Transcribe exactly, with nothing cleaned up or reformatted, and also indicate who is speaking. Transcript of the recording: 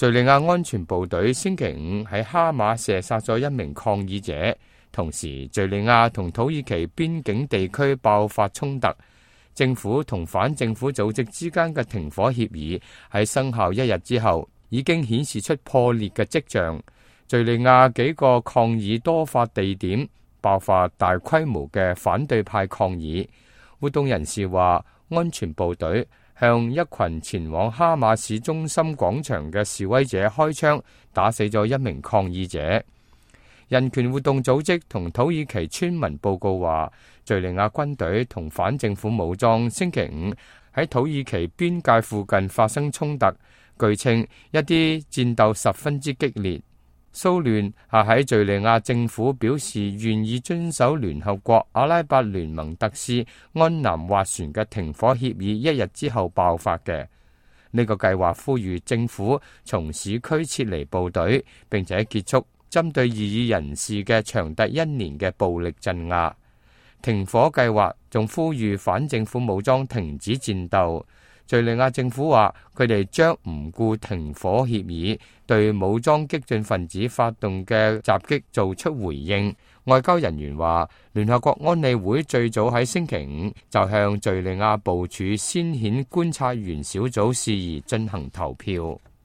Speaker 1: 敘利亞安全部隊星期五喺哈馬射殺咗一名抗議者，同時敘利亞同土耳其邊境地區爆發衝突。政府同反政府組織之間嘅停火協議喺生效一日之後，已經顯示出破裂嘅跡象。敘利亞幾個抗議多發地點爆發大規模嘅反對派抗議。活動人士話，安全部隊向一群前往哈馬市中心廣場嘅示威者開槍，打死咗一名抗議者。人權活動組織同土耳其村民報告話，敘利亞軍隊同反政府武裝星期五喺土耳其邊界附近發生衝突，據稱一啲戰鬥十分之激烈。騷亂係喺敘利亞政府表示願意遵守聯合國阿拉伯聯盟特使安南斡旋嘅停火協議一日之後爆發嘅。呢個計劃呼籲政府從市區撤離部隊，並且結束針對異議人士嘅長達一年嘅暴力鎮壓。停火計劃仲呼籲反政府武裝停止戰鬥。敘利亞政府話，佢哋將唔顧停火協議，對武裝激進分子發動嘅襲擊做出回應。外交人員話，聯合國安理會最早喺星期五就向敘利亞部署先遣觀察員小組事宜進行投票。